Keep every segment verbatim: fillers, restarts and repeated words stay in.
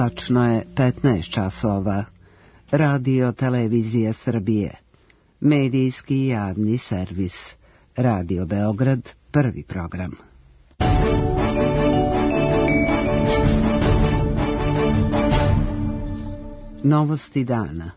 Tačno je petnaest časova. Radio Televizija Srbije. Medijski javni servis. Radio Beograd, prvi program. Novosti dana.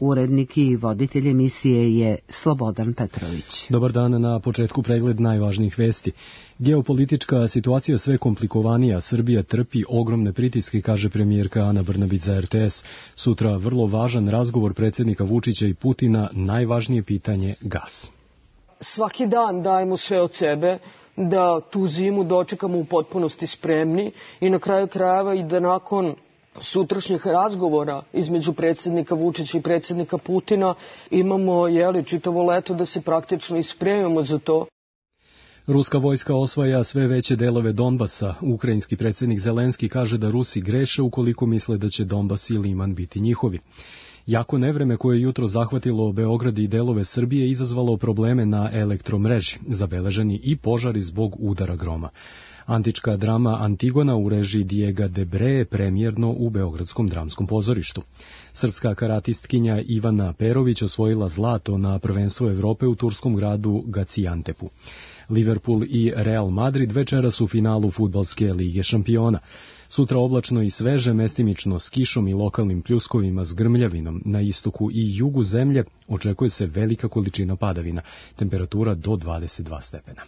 Urednik i voditelj emisije je Slobodan Petrović. Dobar dan, na početku pregled najvažnijih vesti. Geopolitička situacija sve komplikovanija, Srbija trpi ogromne pritiske, kaže premijerka Ana Brnabić za R T S. Sutra vrlo važan razgovor predsjednika Vučića i Putina, najvažnije pitanje gas. Svaki dan dajemo sve od sebe da tu zimu dočekamo u potpunosti spremni i na kraju krajeva i da nakon sutrašnjih razgovora između predsjednika Vučića i predsjednika Putina imamo jeli, čitavo leto da se praktično ispremimo za to. Ruska vojska osvaja sve veće delove Donbasa. Ukrajinski predsjednik Zelenski kaže da Rusi greše ukoliko misle da će Donbas i Liman biti njihovi. Jako nevreme koje je jutro zahvatilo Beograd i delove Srbije izazvalo probleme na elektromreži, zabeleženi i požari zbog udara groma. Antička drama Antigona u režiji Diega de Bre premijerno u Beogradskom dramskom pozorištu. Srpska karatistkinja Ivana Perović osvojila zlato na prvenstvu Evrope u turskom gradu Gaziantepu. Liverpool i Real Madrid večeras u finalu fudbalske lige šampiona. Sutra oblačno i sveže, mestimično s kišom i lokalnim pljuskovima s grmljavinom. Na istoku i jugu zemlje očekuje se velika količina padavina, temperatura do dvadeset dva stepena.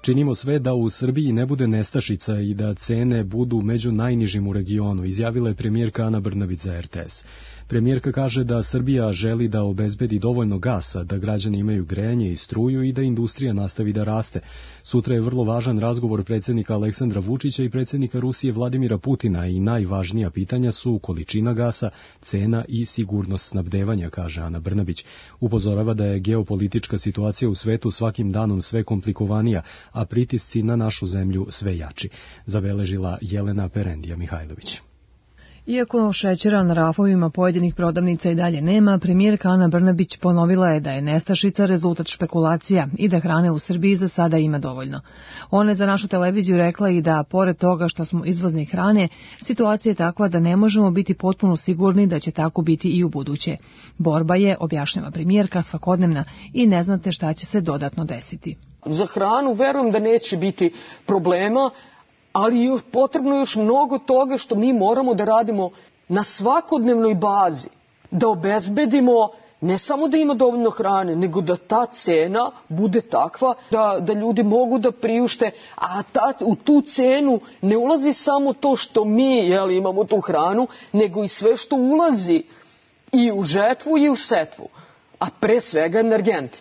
Činimo sve da u Srbiji ne bude nestašica i da cene budu među najnižim u regionu, izjavila je premijerka Ana Brnabić za R T S. Premijerka kaže da Srbija želi da obezbedi dovoljno gasa, da građani imaju grejanje i struju i da industrija nastavi da raste. Sutra je vrlo važan razgovor predsjednika Aleksandra Vučića i predsjednika Rusije Vladimira Putina i najvažnija pitanja su količina gasa, cena i sigurnost snabdevanja, kaže Ana Brnabić. Upozorava da je geopolitička situacija u svetu svakim danom sve komplikovanija, a pritisci na našu zemlju sve jači, zabeležila Jelena Perendija Mihajlović. Iako šećera na rafovima pojedinih prodavnica i dalje nema, premijerka Ana Brnabić ponovila je da je nestašica rezultat špekulacija i da hrane u Srbiji za sada ima dovoljno. Ona je za našu televiziju rekla i da, pored toga što smo izvozni hrane, situacija je takva da ne možemo biti potpuno sigurni da će tako biti i u buduće. Borba je, objašnjava premijerka, svakodnevna i ne znate šta će se dodatno desiti. Za hranu verujem da neće biti problema, ali je potrebno još mnogo toga što mi moramo da radimo na svakodnevnoj bazi, da obezbedimo ne samo da ima dovoljno hrane, nego da ta cena bude takva da, da ljudi mogu da priušte, a ta, u tu cenu ne ulazi samo to što mi jeli, imamo tu hranu, nego i sve što ulazi i u žetvu i u setvu, a pre svega energenti.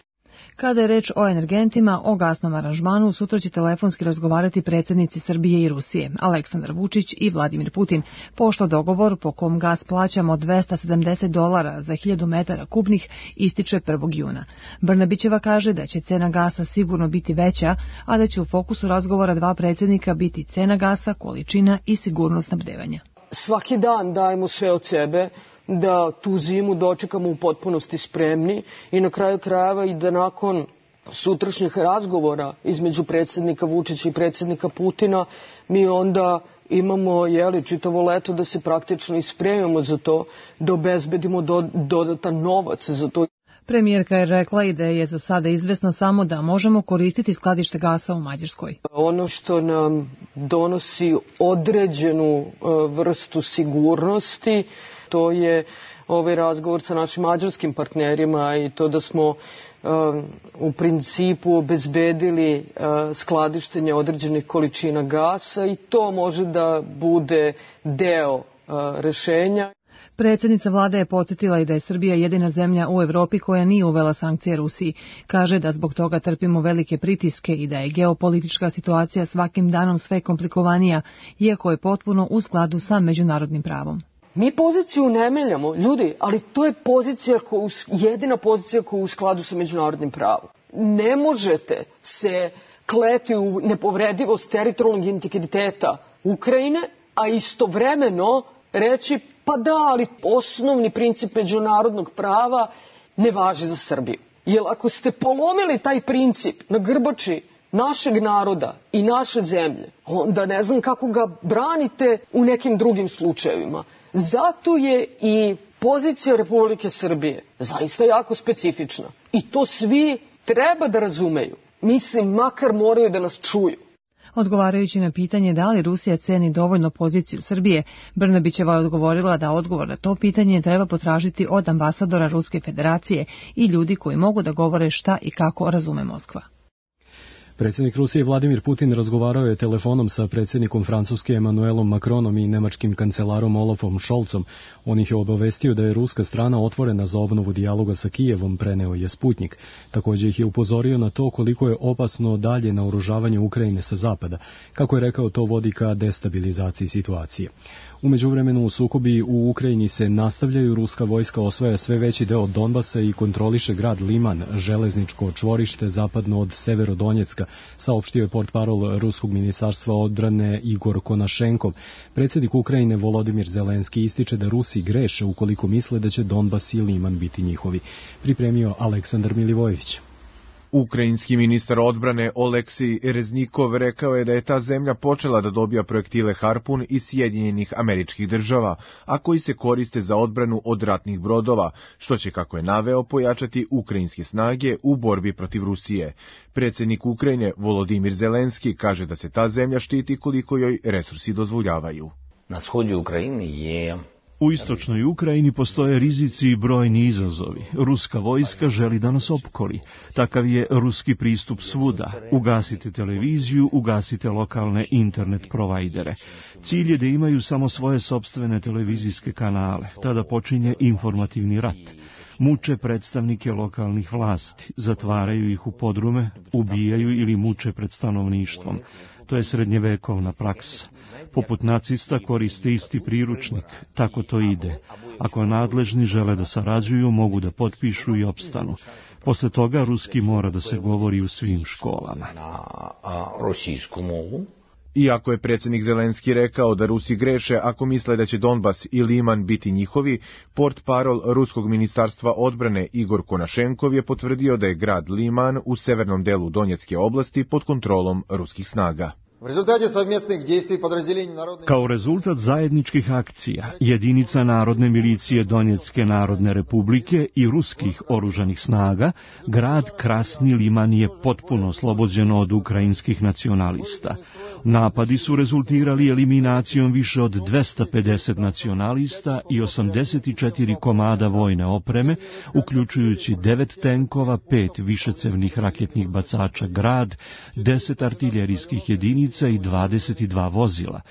Kada je reč o energentima, o gasnom aranžmanu, sutra će telefonski razgovarati predsjednici Srbije i Rusije, Aleksandar Vučić i Vladimir Putin, pošto dogovor po kom gas plaćamo dvesta sedamdeset dolara za hiljadu metara kubnih ističe prvog juna. Brnabićeva kaže da će cena gasa sigurno biti veća, a da će u fokusu razgovora dva predsjednika biti cena gasa, količina i sigurnost snabdevanja. Svaki dan dajemo sve od sebe da tu zimu dočekamo u potpunosti spremni i na kraju krajeva i da nakon sutrašnjih razgovora između predsjednika Vučića i predsjednika Putina mi onda imamo jeli, čitavo leto da se praktično ispremimo za to, da obezbedimo do, dodatan novac za to. Premijerka je rekla i da je za sada izvesno samo da možemo koristiti skladište gasa u Mađarskoj. Ono što nam donosi određenu vrstu sigurnosti, to je ovaj razgovor sa našim mađarskim partnerima i to da smo um, u principu obezbedili uh, skladištenje određenih količina gasa i to može da bude deo uh, rešenja. Predsjednica vlade je podsjetila i da je Srbija jedina zemlja u Evropi koja nije uvela sankcije Rusiji. Kaže da zbog toga trpimo velike pritiske i da je geopolitička situacija svakim danom sve komplikovanija, iako je potpuno u skladu sa međunarodnim pravom. Mi poziciju ne menjamo, ljudi, ali to je pozicija koju, jedina pozicija koja je u skladu sa međunarodnim pravom. Ne možete se kleti u nepovredivost teritorijalnog integriteta Ukrajine, a istovremeno reći pa da, ali osnovni princip međunarodnog prava ne važi za Srbiju. Jer ako ste polomili taj princip na grbači našeg naroda i naše zemlje, onda ne znam kako ga branite u nekim drugim slučajevima. Zato je i pozicija Republike Srbije zaista jako specifična. I to svi treba da razumeju. Mislim, makar moraju da nas čuju. Odgovarajući na pitanje da li Rusija ceni dovoljno poziciju Srbije, Brnabićeva je odgovorila da odgovor na to pitanje treba potražiti od ambasadora Ruske federacije i ljudi koji mogu da govore šta i kako razume Moskva. Predsjednik Rusije Vladimir Putin razgovarao je telefonom sa predsjednikom Francuske Emmanuelom Macronom i nemačkim kancelarom Olafom Scholzom. On ih je obavestio da je ruska strana otvorena za obnovu dijaloga sa Kijevom, preneo je Sputnik. Također ih je upozorio na to koliko je opasno dalje naoružavanje Ukrajine sa zapada. Kako je rekao, to vodi ka destabilizaciji situacije. U međuvremenu sukobi u Ukrajini se nastavljaju, ruska vojska osvaja sve veći deo Donbasa i kontroliše grad Liman, železničko čvorište zapadno od Severodonjecka, saopštio je portparol Ruskog ministarstva odbrane Igor Konašenkov. Predsjednik Ukrajine Volodimir Zelenski ističe da Rusi greše ukoliko misle da će Donbas i Liman biti njihovi. Pripremio Aleksandar Milivojević. Ukrajinski ministar odbrane Oleksij Reznikov rekao je da je ta zemlja počela da dobija projektile Harpun iz Sjedinjenih Američkih Država, a koji se koriste za odbranu od ratnih brodova, što će, kako je naveo, pojačati ukrajinske snage u borbi protiv Rusije. Predsjednik Ukrajine Volodimir Zelenski kaže da se ta zemlja štiti koliko joj resursi dozvoljavaju. Na shodju Ukrajine je... U istočnoj Ukrajini postoje rizici i brojni izazovi. Ruska vojska želi da nas opkoli. Takav je ruski pristup svuda. Ugasite televiziju, ugasite lokalne internet provajdere. Cilj je da imaju samo svoje sopstvene televizijske kanale. Tada počinje informativni rat. Muče predstavnike lokalnih vlasti, zatvaraju ih u podrume, ubijaju ili muče pred stanovništvom. To je srednjevekovna praksa. Poput nacista koriste isti priručnik, tako to ide. Ako nadležni žele da sarađuju, mogu da potpišu i opstanu. Posle toga ruski mora da se govori u svim školama. Iako je predsjednik Zelenski rekao da Rusi greše ako misle da će Donbas i Liman biti njihovi, portparol Ruskog ministarstva odbrane Igor Konašenkov je potvrdio da je grad Liman u severnom delu Donjecke oblasti pod kontrolom ruskih snaga. Kao rezultat zajedničkih akcija, jedinica Narodne milicije Donjecke Narodne Republike i ruskih oružanih snaga, grad Krasni Liman je potpuno oslobođen od ukrajinskih nacionalista. Napadi su rezultirali eliminacijom više od dvesta pedeset nacionalista i osamdeset četiri komada vojne opreme, uključujući devet tenkova, pet višecevnih raketnih bacača Grad, deset artiljerijskih jedinica i dvadeset dva vozila.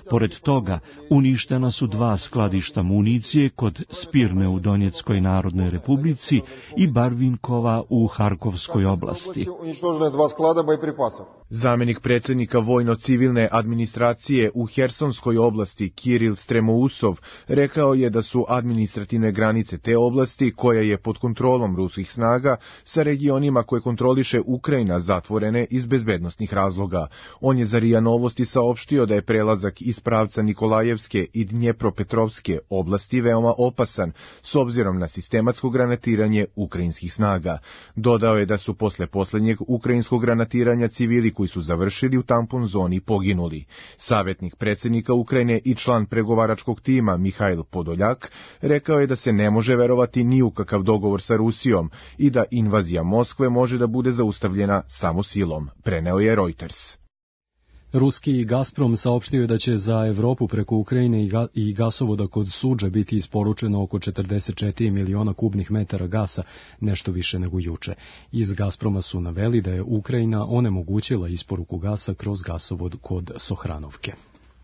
Pored toga, uništena su dva skladišta municije kod Spirne u Donjeckoj Narodnoj Republici i Barvinkova u Harkovskoj oblasti. Zamjenik predsjednika vojno-civilne administracije u Hersonskoj oblasti Kiril Stremousov rekao je da su administrativne granice te oblasti, koja je pod kontrolom ruskih snaga, sa regionima koje kontroliše Ukrajina zatvorene iz bezbednosnih razloga. On je za RIA Novosti saopštio da je prelazak iz pravca Nikolajevske i Dnjepropetrovske oblasti veoma opasan s obzirom na sistematsko granatiranje ukrajinskih snaga. Dodao je da su posle posljednjeg ukrajinskog granatiranja civili koji su završili u tampon zoni poginuli. Savjetnik predsjednika Ukrajine i član pregovaračkog tima Mihajl Podoljak rekao je da se ne može verovati ni u kakav dogovor sa Rusijom i da invazija Moskve može da bude zaustavljena samo silom, preneo je Reuters. Ruski Gazprom saopštio je da će za Evropu preko Ukrajine i, ga, i gasovoda kod Suđa biti isporučeno oko četrdeset četiri miliona kubnih metara gasa, nešto više nego juče. Iz Gazproma su naveli da je Ukrajina onemogućila isporuku gasa kroz gasovod kod Sohranovke.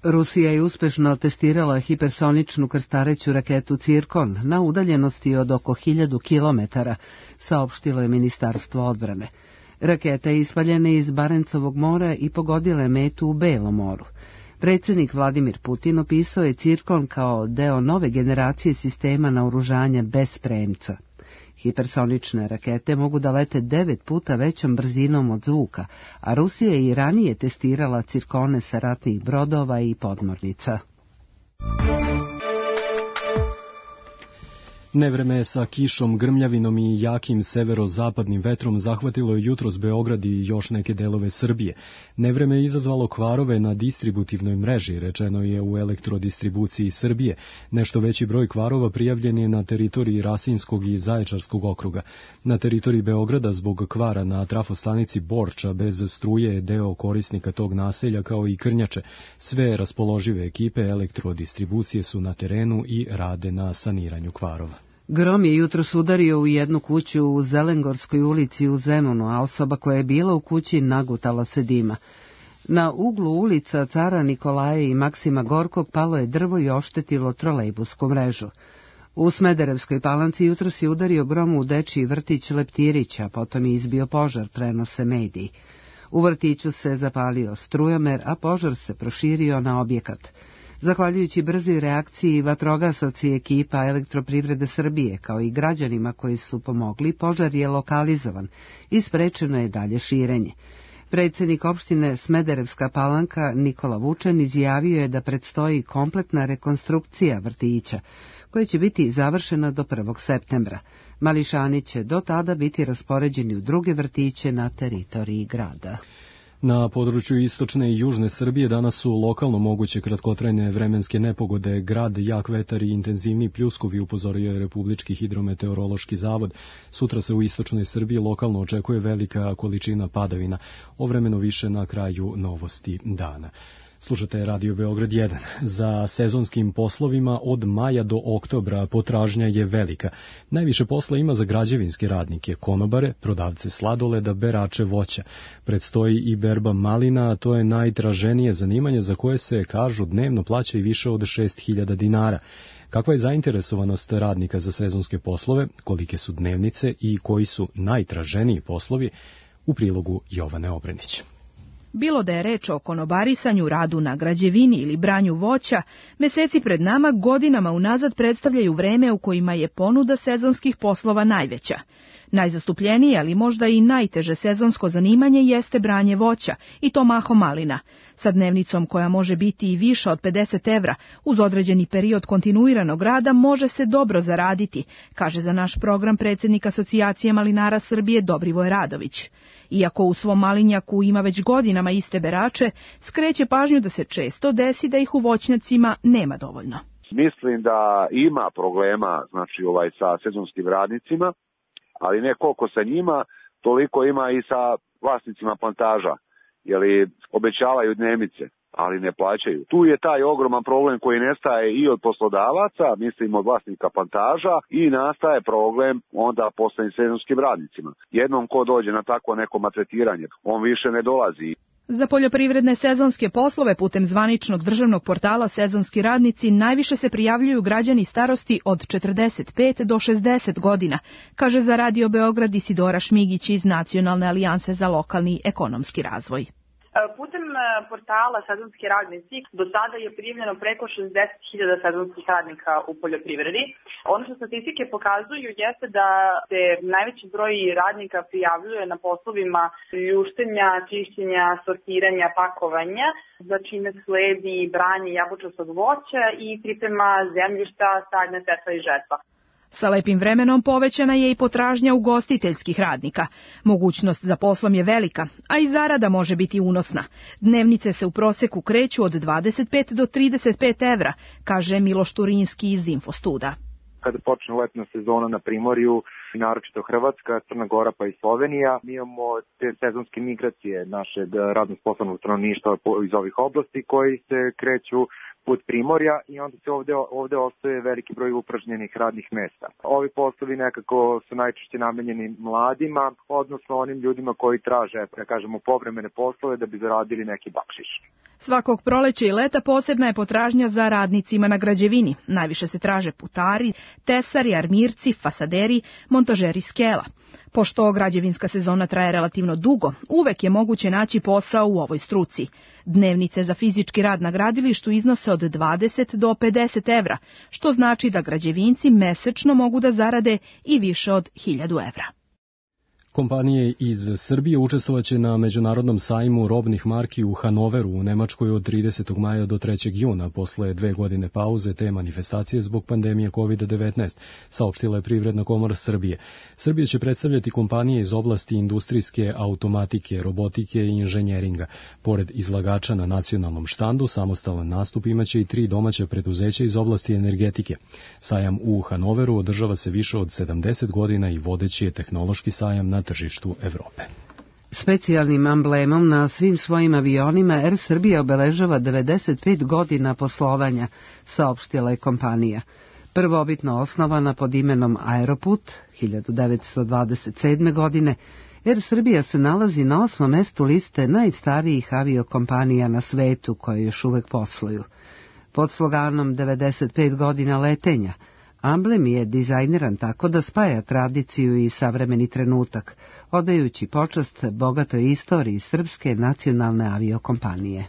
Rusija je uspešno testirala hipersoničnu krstareću raketu Cirkon na udaljenosti od oko hiljadu kilometara, saopštilo je Ministarstvo odbrane. Raketa je ispaljena iz Barencovog mora i pogodila je metu u Belom moru. Predsjednik Vladimir Putin opisao je Cirkon kao deo nove generacije sistema naoružanja bez premca. Hipersonične rakete mogu da lete devet puta većom brzinom od zvuka, a Rusija je i ranije testirala Cirkone sa ratnih brodova i podmornica. Nevreme sa kišom, grmljavinom i jakim severozapadnim vetrom zahvatilo je jutros Beograd i još neke delove Srbije. Nevreme je izazvalo kvarove na distributivnoj mreži, rečeno je u Elektrodistribuciji Srbije. Nešto veći broj kvarova prijavljen je na teritoriji Rasinskog i Zaječarskog okruga. Na teritoriji Beograda zbog kvara na trafostanici Borča bez struje je deo korisnika tog naselja kao i Krnjače. Sve raspoložive ekipe Elektrodistribucije su na terenu i rade na saniranju kvarova. Grom je jutros udario u jednu kuću u Zelengorskoj ulici u Zemunu, a osoba koja je bila u kući nagutala se dima. Na uglu ulica Cara Nikolaje i Maksima Gorkog palo je drvo i oštetilo trolejbusku mrežu. U Smederevskoj Palanci jutros je udario grom u dečiji vrtić Leptirića, potom je izbio požar, prenose mediji. U vrtiću se zapalio strujomer, a požar se proširio na objekat. Zahvaljujući brzoj reakciji vatrogasaca i ekipa Elektroprivrede Srbije, kao i građanima koji su pomogli, požar je lokalizovan i sprečeno je dalje širenje. Predsjednik opštine Smederevska Palanka Nikola Vučan izjavio je da predstoji kompletna rekonstrukcija vrtića, koja će biti završena do prvog septembra. Mališani će do tada biti raspoređeni u druge vrtiće na teritoriji grada. Na području istočne i južne Srbije danas su lokalno moguće kratkotrajne vremenske nepogode. Grad, jak vetar i intenzivni pljuskovi, upozorio je Republički hidrometeorološki zavod. Sutra se u istočnoj Srbiji lokalno očekuje velika količina padavina. Ovremeno više na kraju novosti dana. Slušate Radio Beograd jedan. Za sezonskim poslovima od maja do oktobra potražnja je velika. Najviše posla ima za građevinske radnike, konobare, prodavce sladoleda, berače voća. Predstoji i berba malina, a to je najtraženije zanimanje za koje se, kažu, dnevno plaća i više od šest hiljada dinara. Kakva je zainteresovanost radnika za sezonske poslove, kolike su dnevnice i koji su najtraženiji poslovi, u prilogu Jovane Obrenić. Bilo da je reč o konobarisanju, radu na građevini ili branju voća, meseci pred nama godinama unazad predstavljaju vreme u kojima je ponuda sezonskih poslova najveća. Najzastupljenije, ali možda i najteže sezonsko zanimanje jeste branje voća, i to mahom malina. Sa dnevnicom koja može biti i više od pedeset evra, uz određeni period kontinuiranog rada može se dobro zaraditi, kaže za naš program predsjednik Asocijacije malinara Srbije Dobrivoj Radović. Iako u svom malinjaku ima već godinama iste berače, skreće pažnju da se često desi da ih u voćnjacima nema dovoljno. Mislim da ima problema, znači ovaj sa sezonskim radnicima, ali ne koliko sa njima, toliko ima i sa vlasnicima plantaža, jer obećavaju dnevnice, ali ne plaćaju. Tu je taj ogroman problem koji nestaje i od poslodavaca, mislim od vlasnika plantaža, i nastaje problem onda poslednjim sezonskim radnicima. Jednom ko dođe na takvo neko maltretiranje, on više ne dolazi. Za poljoprivredne sezonske poslove putem zvaničnog državnog portala Sezonski radnici najviše se prijavljuju građani starosti od četrdeset pet do šezdeset godina, kaže za Radio Beograd Isidora Šmigić iz Nacionalne alijanse za lokalni ekonomski razvoj. Putem portala Sezonski radnici do sada je prijavljeno preko šezdeset hiljada sezonskih radnika u poljoprivredi. Ono što statistike pokazuju jeste da se najveći broj radnika prijavljuje na poslovima ljuštenja, čišćenja, sortiranja, pakovanja, za čime sledi branje jabučastog voća i priprema zemljišta, sadnja, setva i žetva. Sa lepim vremenom povećana je i potražnja ugostiteljskih radnika. Mogućnost za poslom je velika, a i zarada može biti unosna. Dnevnice se u proseku kreću od dvadeset pet do trideset pet evra, kaže Miloš Turinski iz Infostuda. Kada počne letna sezona na Primorju, naročito Hrvatska, Crna Gora pa i Slovenija, mi imamo te sezonske migracije našeg radno sposobnog stanovništva iz ovih oblasti koji se kreću put Primorja i onda se ovde, ovde ostaje veliki broj upražnjenih radnih mesta. Ovi poslovi nekako su najčešće namenjeni mladima, odnosno onim ljudima koji traže, da kažemo, povremene poslove da bi zaradili neki bakšiš. Svakog proleća i leta posebna je potražnja za radnicima na građevini. Najviše se traže putari, tesari, armirci, fasaderi, montažeri skela. Pošto građevinska sezona traje relativno dugo, uvek je moguće naći posao u ovoj struci. Dnevnice za fizički rad na gradilištu iznose od dvadeset do pedeset evra, što znači da građevinci mesečno mogu da zarade i više od hiljadu evra. Kompanije iz Srbije učestvovaće na međunarodnom sajmu robnih marki u Hanoveru u Nemačkoj od tridesetog maja do trećeg juna, posle dve godine pauze te manifestacije zbog pandemije kovid devetnaest, saopštila je Privredna komora Srbije. Srbija će predstavljati kompanije iz oblasti industrijske automatike, robotike i inženjeringa. Pored izlagača na nacionalnom štandu, samostalan nastup imaće i tri domaća preduzeća iz oblasti energetike. Sajam u Hanoveru održava se više od sedamdeset godina i vodeći je tehnološki sajam na tržištu Evrope. Specijalnim amblemom na svim svojim avionima Er Srbija obeležava devedeset pet godina poslovanja, saopštila je kompanija. Prvobitno osnovana pod imenom Aeroput hiljadu devetsto dvadeset sedme. godine, Er Srbija se nalazi na osmom mestu liste najstarijih aviokompanija na svetu koje još uvek posluju. Pod sloganom devedeset pet godina letenja, amblem je dizajniran tako da spaja tradiciju i savremeni trenutak, odajući počast bogatoj istoriji srpske nacionalne aviokompanije.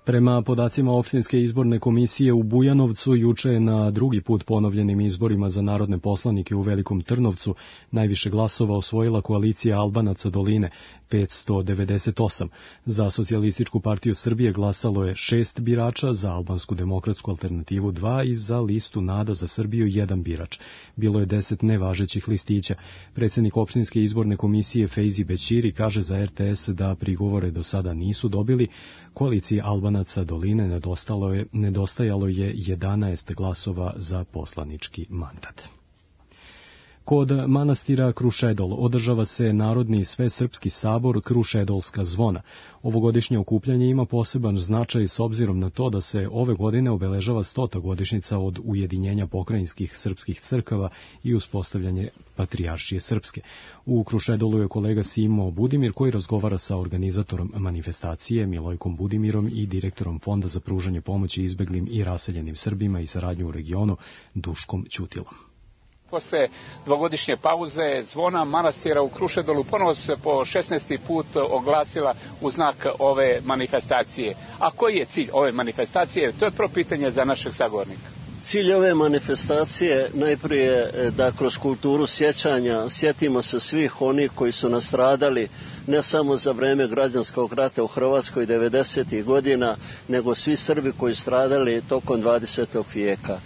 Prema podacima opštinske izborne komisije u Bujanovcu, juče je na drugi put ponovljenim izborima za narodne poslanike u Velikom Trnovcu najviše glasova osvojila koalicija Albanaca Doline, petsto devedeset osam. Za Socijalističku partiju Srbije glasalo je šest birača, za Albansku demokratsku alternativu dva i za listu Nada za Srbiju jedan birač. Bilo je deset nevažećih listića. Predsjednik opštinske izborne komisije Fejzi Bećiri kaže za er te es da prigovore do sada nisu dobili. Koaliciji Albanaca Doline nedostajalo je, nedostajalo je jedanaest glasova za poslanički mandat. Kod manastira Krušedol održava se Narodni svesrpski sabor Krušedolska zvona. Ovogodišnje okupljanje ima poseban značaj s obzirom na to da se ove godine obeležava stota godišnjica od ujedinjenja pokrajinskih srpskih crkava i uspostavljanje Patrijaršije Srpske. U Krušedolu je kolega Simo Budimir koji razgovara sa organizatorom manifestacije Milojkom Budimirom i direktorom Fonda za pružanje pomoći izbeglim i raseljenim Srbima i saradnju u regionu Duškom Ćutilom. Posle dvogodišnje pauze zvona manastira u Krušedolu ponovo se po šesnaesti put oglasila u znak ove manifestacije. A koji je cilj ove manifestacije? To je prvo pitanje za našeg sagovornika. Cilj ove manifestacije najprije da kroz kulturu sjećanja sjetimo se svih onih koji su nastradali ne samo za vreme građanskog rata u Hrvatskoj devedesetih godina, nego svi Srbi koji stradali tokom dvadesetog vijeka.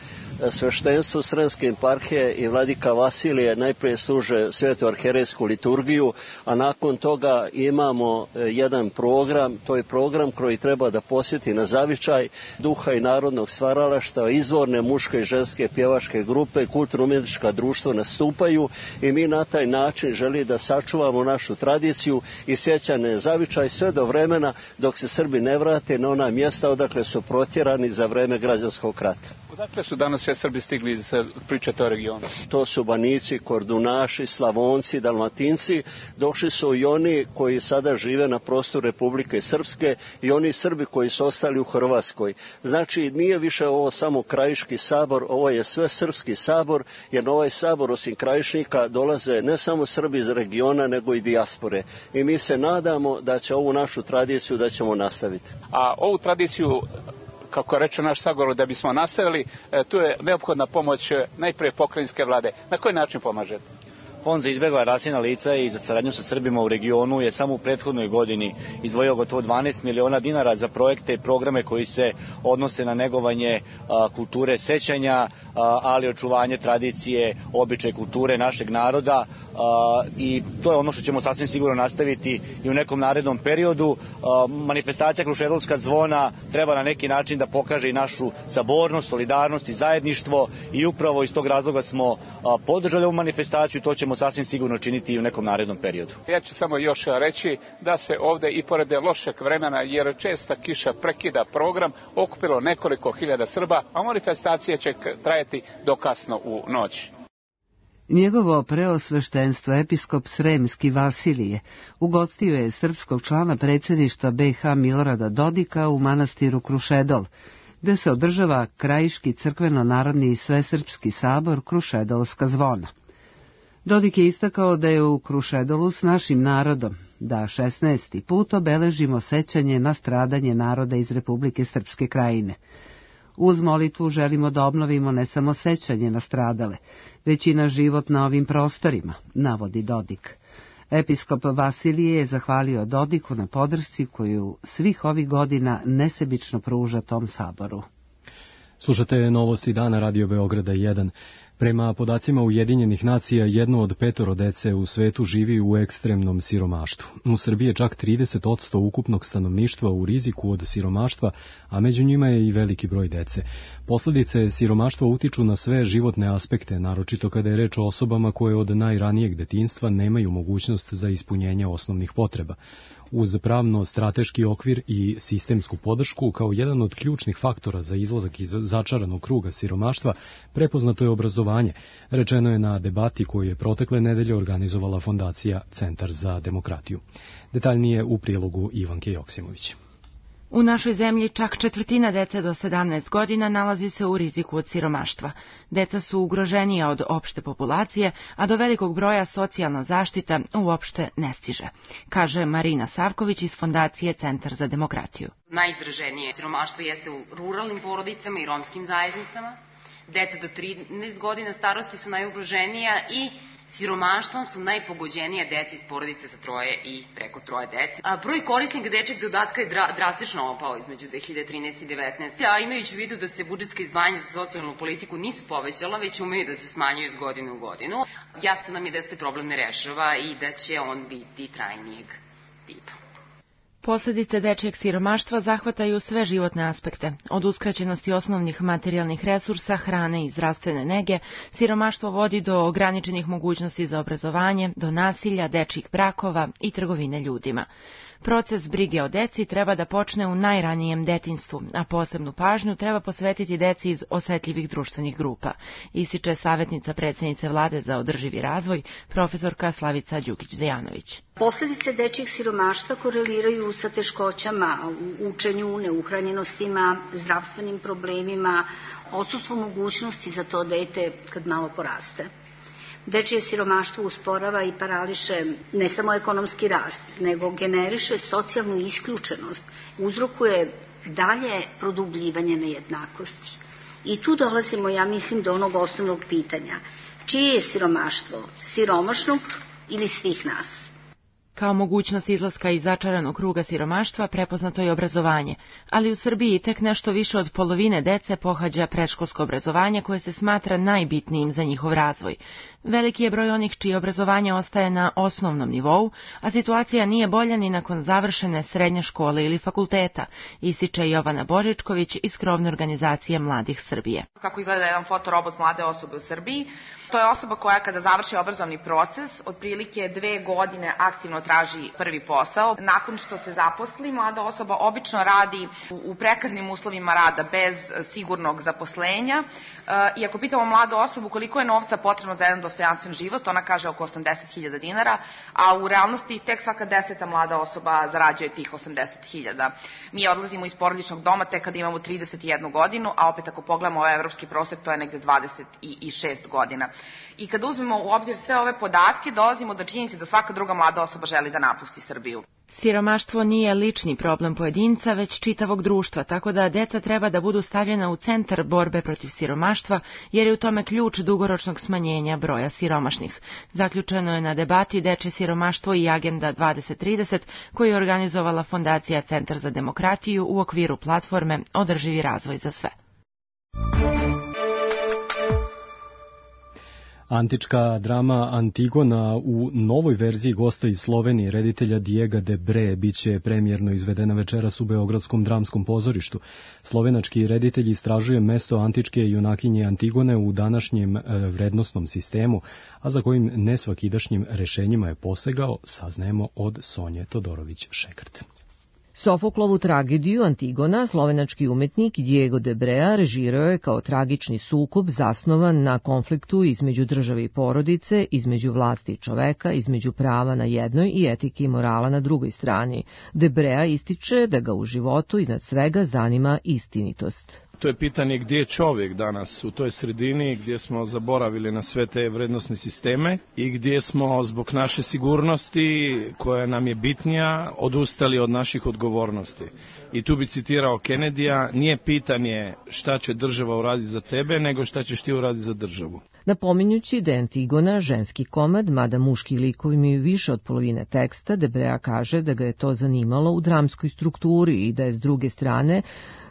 Sveštenstvo Sremske eparhije i vladika Vasilije najprije služe svetu arherejsku liturgiju, a nakon toga imamo jedan program, to je program koji treba da posjeti na zavičaj duha i narodnog stvaralaštva, izvorne muške i ženske pjevačke grupe, kulturno-umjetnička društva nastupaju i mi na taj način želi da sačuvamo našu tradiciju i sjećane zavičaj sve do vremena dok se Srbi ne vrate na ona mjesta odakle su protjerani za vreme građanskog rata. Odakle su danas sve Srbi stigli da se pričate o regionu? To su Banici, Kordunaši, Slavonci, Dalmatinci. Došli su i oni koji sada žive na prostoru Republike Srpske i oni Srbi koji su ostali u Hrvatskoj. Znači, nije više ovo samo krajiški sabor, ovo je sve srpski sabor, jer na ovaj sabor osim krajišnika dolaze ne samo Srbi iz regiona, nego i dijaspore. I mi se nadamo da će ovu našu tradiciju da ćemo nastaviti. A ovu tradiciju, kako reče naš sagovor, da bismo nastavili, tu je neophodna pomoć najprije pokrajinske vlade. Na koji način pomažete? Fond za izbjegla raseljena lica i za saradnju sa Srbima u regionu je samo u prethodnoj godini izdvojio gotovo dvanaest miliona dinara za projekte i programe koji se odnose na negovanje a, kulture sećanja, a, ali očuvanje tradicije, običaje kulture našeg naroda a, i to je ono što ćemo sasvim sigurno nastaviti i u nekom narednom periodu. A, manifestacija Krušedolska zvona treba na neki način da pokaže i našu sabornost, solidarnost i zajedništvo i upravo iz tog razloga smo a, podržali ovu manifestaciju, to ćemo sasvim sigurno činiti i u nekom narednom periodu. Ja ću samo još reći da se ovde i pored lošeg vremena, jer česta kiša prekida program, okupilo nekoliko hiljada Srba, a manifestacija će trajati do kasno u noć. Njegovo preosveštenstvo episkop Sremski Vasilije ugostio je srpskog člana predsjedništva be ha Milorada Dodika u manastiru Krušedol, gde se održava krajiški crkveno-narodni i svesrpski sabor Krušedolska zvona. Dodik je istakao da je u Krušedolu s našim narodom, da šesnaesti put obeležimo sećanje na stradanje naroda iz Republike Srpske krajine. Uz molitvu želimo da obnovimo ne samo sećanje na stradale, već i na život na ovim prostorima, navodi Dodik. Episkop Vasilije je zahvalio Dodiku na podršci koju svih ovih godina nesebično pruža tom saboru. Slušate novosti dana Radio Beograda jedan. Prema podacima Ujedinjenih nacija, jedno od petoro dece u svetu živi u ekstremnom siromaštvu. U Srbiji je čak trideset posto ukupnog stanovništva u riziku od siromaštva, a među njima je i veliki broj dece. Posledice siromaštva utiču na sve životne aspekte, naročito kada je reč o osobama koje od najranijeg detinjstva nemaju mogućnost za ispunjenje osnovnih potreba. Uz pravno-strateški okvir i sistemsku podršku, kao jedan od ključnih faktora za izlazak iz začaranog kruga siromaštva, prepoznato je obrazovanje, rečeno je na debati koju je protekle nedelje organizovala Fondacija Centar za demokratiju. Detaljnije u prilogu Ivanke Joksimović. U našoj zemlji čak četvrtina dece do sedamnaest godina nalazi se u riziku od siromaštva. Deca su ugroženija od opšte populacije, a do velikog broja socijalna zaštita uopšte ne stiže, kaže Marina Savković iz Fondacije Centar za demokratiju. Najizraženije siromaštvo jeste u ruralnim porodicama i romskim zajednicama. Deca do trinaest godina starosti su najugroženija i siromaštvom su najpogođenija deca iz porodice sa troje i preko troje dece. A broj korisnika dečjeg dodatka je dra, drastično opao između dve hiljade trinaeste i devetnaeste. A imajući u vidu da se budžetska izdvajanja za socijalnu politiku nisu povećala, već umeju da se smanjuju iz godine u godinu, jasno nam je da se problem ne rešava i da će on biti trajnijeg tipa. Posledice dečijeg siromaštva zahvataju sve životne aspekte, od uskraćenosti osnovnih materijalnih resursa, hrane i zdravstvene nege. Siromaštvo vodi do ograničenih mogućnosti za obrazovanje, do nasilja, dečjih brakova i trgovine ljudima. Proces brige o deci treba da počne u najranijem detinjstvu, a posebnu pažnju treba posvetiti deci iz osetljivih društvenih grupa, ističe savjetnica predsjednice Vlade za održivi razvoj, profesorka Slavica Đukić-Dejanović. Posledice dečjeg siromaštva koreliraju sa teškoćama u učenju, neuhranjenostima, zdravstvenim problemima, odsustvom mogućnosti za to dete kad malo poraste. Dečije siromaštvo usporava i parališe ne samo ekonomski rast, nego generiše socijalnu isključenost, uzrokuje dalje produbljivanje nejednakosti. I tu dolazimo, ja mislim, do onog osnovnog pitanja. Čije je siromaštvo? Siromašnog ili svih nas? Kao mogućnost izlaska iz začaranog kruga siromaštva prepoznato je obrazovanje, ali u Srbiji tek nešto više od polovine dece pohađa predškolsko obrazovanje koje se smatra najbitnijim za njihov razvoj. Veliki je broj onih čije obrazovanje ostaje na osnovnom nivou, a situacija nije bolja ni nakon završene srednje škole ili fakulteta, ističe Jovana Božičković iz krovne organizacije Mladih Srbije. Kako izgleda jedan fotorobot mlade osobe u Srbiji? To je osoba koja kada završi obrazovni proces, otprilike dve godine aktivno traži prvi posao. Nakon što se zaposli, mlada osoba obično radi u prekarnim uslovima rada bez sigurnog zaposlenja. I ako pitamo mladu osobu koliko je novca potrebno za jedan dostojanstven život, ona kaže oko osamdeset hiljada dinara, a u realnosti tek svaka deseta mlada osoba zarađuje tih osamdeset hiljada. Mi odlazimo iz porodičnog doma tek kada imamo trideset jednu godinu, a opet ako pogledamo ovaj evropski prosek, to je negde dvadeset šest godina. I kada uzmemo u obzir sve ove podatke, dolazimo do činjenice da svaka druga mlada osoba želi da napusti Srbiju. Siromaštvo nije lični problem pojedinca, već čitavog društva, tako da deca treba da budu stavljena u centar borbe protiv siromaštva, jer je u tome ključ dugoročnog smanjenja broja siromašnih. Zaključeno je na debati Dečje siromaštvo i Agenda dvadeset trideset, koju je organizovala Fondacija Centar za demokratiju u okviru platforme Održivi razvoj za sve. Antička drama Antigona u novoj verziji gosta iz Slovenije, reditelja Diego de Bre, biće premijerno izvedena večeras u Beogradskom dramskom pozorištu. Slovenački reditelj istražuje mesto antičke junakinje Antigone u današnjem vrednosnom sistemu, a za kojim nesvakidašnjim rešenjima je posegao, saznajemo od Sonje Todorović-Šekrt. Sofoklovu tragediju Antigona slovenački umetnik Diego de Brea režirao je kao tragični sukob zasnovan na konfliktu između države i porodice, između vlasti i čoveka, između prava na jednoj i etike i morala na drugoj strani. De Brea ističe da ga u životu iznad svega zanima istinitost. To je pitanje gdje je čovjek danas u toj sredini gdje smo zaboravili na sve te vrednosne sisteme i gdje smo zbog naše sigurnosti koja nam je bitnija odustali od naših odgovornosti. I tu bi citirao Kennedyja, nije pitanje šta će država uraditi za tebe, nego šta ćeš ti uraditi za državu. Napominjući da je Antigona ženski komad, mada muški likovi imaju više od polovine teksta, Debrea kaže da ga je to zanimalo u dramskoj strukturi i da je s druge strane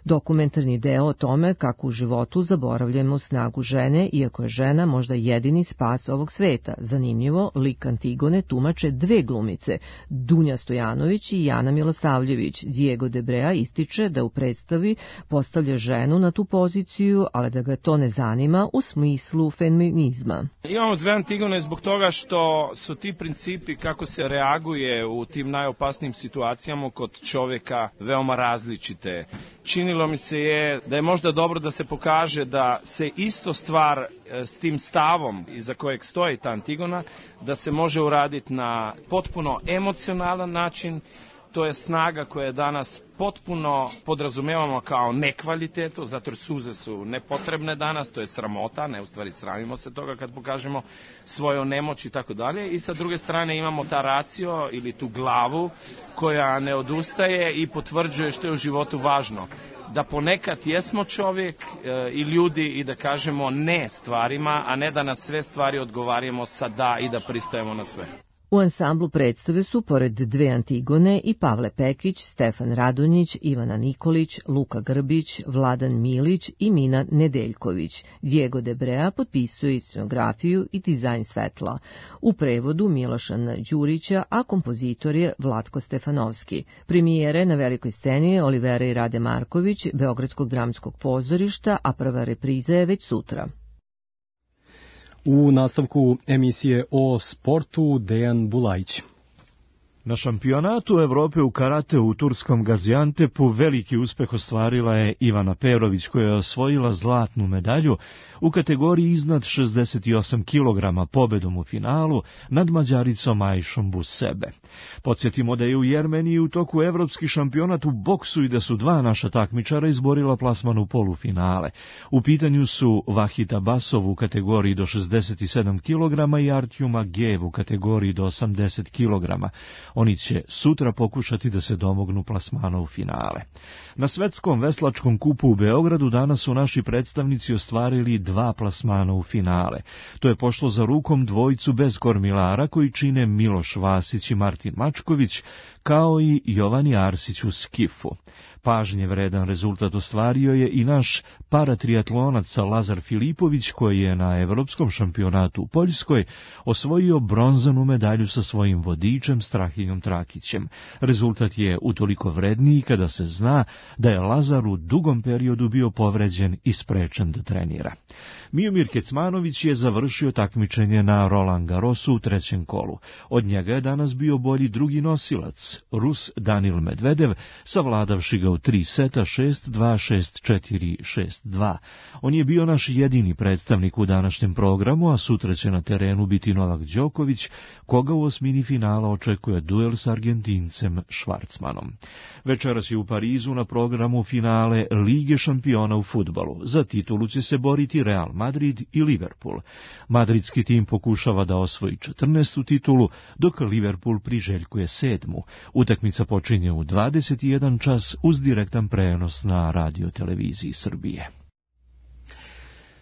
dokumentarni deo o tome kako u životu zaboravljamo snagu žene, iako je žena možda jedini spas ovog sveta. Zanimljivo, lik Antigone tumače dve glumice, Dunja Stojanović i Jana Milosavljević. Diego Debrea ističe da u predstavi postavlja ženu na tu poziciju, ali da ga to ne zanima u smislu feminizma. Imamo dve Antigone zbog toga što su ti principi kako se reaguje u tim najopasnijim situacijama kod čovjeka veoma različite. Činilo mi se je da je možda dobro da se pokaže da se isto stvar s tim stavom iza kojeg stoji ta Antigona, da se može uraditi na potpuno emocionalan način. To je snaga koja danas potpuno podrazumevamo kao nekvalitetu, zato jer suze su nepotrebne danas, to je sramota, ne u stvari sramimo se toga kad pokažemo svoju nemoć i tako dalje. I sa druge strane imamo ta racio ili tu glavu koja ne odustaje i potvrđuje što je u životu važno. Da ponekad jesmo čovjek e, i ljudi i da kažemo ne stvarima, a ne da na sve stvari odgovaramo sa da i da pristajemo na sve. U ansamblu predstave su, pored dve Antigone, i Pavle Pekić, Stefan Radonjić, Ivana Nikolić, Luka Grbić, Vladan Milić i Mina Nedeljković. Diego Debrea potpisuje i scenografiju i dizajn svetla. U prevodu Milošana Đurića, a kompozitor je Vlatko Stefanovski. Premijere na velikoj sceni je Olivera i Rade Marković, Beogradskog dramskog pozorišta, a prva repriza je već sutra. U nastavku emisije o sportu Dejan Bulajić. Na šampionatu Evrope u karate u turskom Gaziantepu veliki uspeh ostvarila je Ivana Perović, koja je osvojila zlatnu medalju u kategoriji iznad šezdeset osam kilograma pobedom u finalu nad Mađaricom Ajšom Busebe. Podsjetimo da je u Jermeniji u toku evropski šampionat u boksu i da su dva naša takmičara izborila plasman u polufinale. U pitanju su Vahita Basov u kategoriji do šezdeset sedam kilograma i Artjuma Gev u kategoriji do osamdeset kilograma. Oni će sutra pokušati da se domognu plasmana u finale. Na svetskom veslačkom kupu u Beogradu danas su naši predstavnici ostvarili dva plasmana u finale. To je pošlo za rukom dvojicu bez kormilara koji čine Miloš Vasić i Martin Mačković, kao i Jovani Arsić u skifu. Pažnje vredan rezultat ostvario je i naš paratriatlonac Lazar Filipović, koji je na evropskom šampionatu u Poljskoj osvojio bronzanu medalju sa svojim vodičem Strahinjom Trakićem. Rezultat je utoliko vredniji kada se zna da je Lazar u dugom periodu bio povređen i sprečen da trenira. Miomir Kecmanović je završio takmičenje na Roland Garrosu u trećem kolu. Od njega je danas bio bolji drugi nosilac, Rus Danil Medvedev, savladavši ga u tri seta šest dva, šest četiri, šest dva. On je bio naš jedini predstavnik u današnjem programu, a sutra će na terenu biti Novak Đoković, koga u osmini finala očekuje duel s Argentincem Švarcmanom. Večeras je u Parizu na programu finale Lige šampiona u fudbalu. Za titulu će se boriti Real Madrid i Liverpool. Madridski tim pokušava da osvoji četrnaestu titulu, dok Liverpool priželjkuje sedmu. Utakmica počinje u dvadeset jedan čas uz direktan prenos na Radio Televiziji Srbije.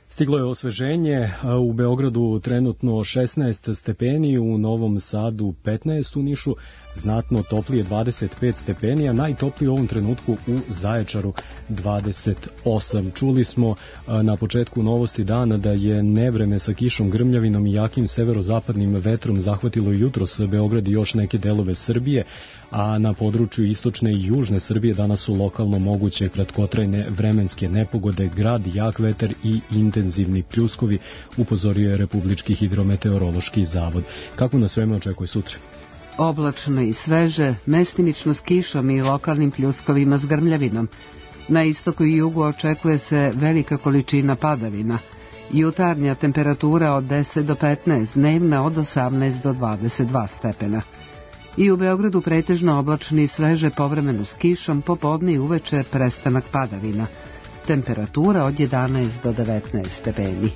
Stiglo je osveženje, u Beogradu trenutno šesnaest stepeni, u Novom Sadu petnaest, u Nišu znatno toplije dvadeset pet stepeni, a najtoplije u ovom trenutku u Zaječaru dvadeset osam. Čuli smo na početku novosti dana da je nevreme sa kišom, grmljavinom i jakim severozapadnim vetrom zahvatilo jutros Beograd i još neke delove Srbije, a na području istočne i južne Srbije danas su lokalno moguće kratkotrajne vremenske nepogode, grad, jak vetar i intenzivni pljuskovi, upozorio je Republički hidrometeorološki zavod. Kako nas vreme očekuje sutra? Oblačno i sveže, mestimično s kišom i lokalnim pljuskovima s grmljavinom. Na istoku i jugu očekuje se velika količina padavina. Jutarnja temperatura od deset do petnaest, dnevna od osamnaest do dvadeset dva stepena. I u Beogradu pretežno oblačno i sveže, povremeno s kišom, popodne i uveče prestanak padavina. temperatura od jedanaest do devetnaest stepeni.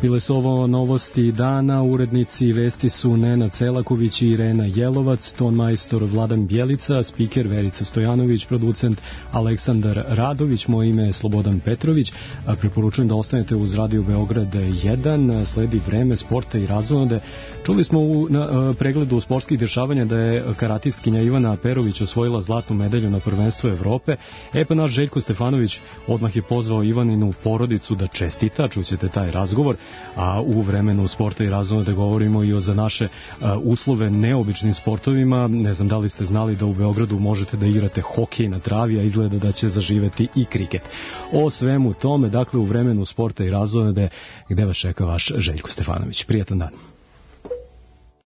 Bile su ovo novosti dana, urednici vesti su Nena Celaković i Irena Jelovac, ton majstor Vladan Bjelica, spiker Verica Stojanović, producent Aleksandar Radović, moje ime je Slobodan Petrović. Preporučujem da ostanete uz Radio Beograd jedan, sledi vreme sporta i razonode. Čuli smo u na, pregledu sportskih dešavanja da je karatistkinja Ivana Perović osvojila zlatnu medalju na prvenstvu Evrope. E pa naš Željko Stefanović odmah je pozvao Ivaninu porodicu da čestita, čućete taj razgovor. A u vremenu sporta i razonode govorimo i o za naše a, uslove neobičnim sportovima. Ne znam da li ste znali da u Beogradu možete da igrate hokej na travi, a izgleda da će zaživeti i kriket. O svemu tome, dakle, u vremenu sporta i razonode, gde vas čeka vaš Željko Stefanović. Prijetan dan.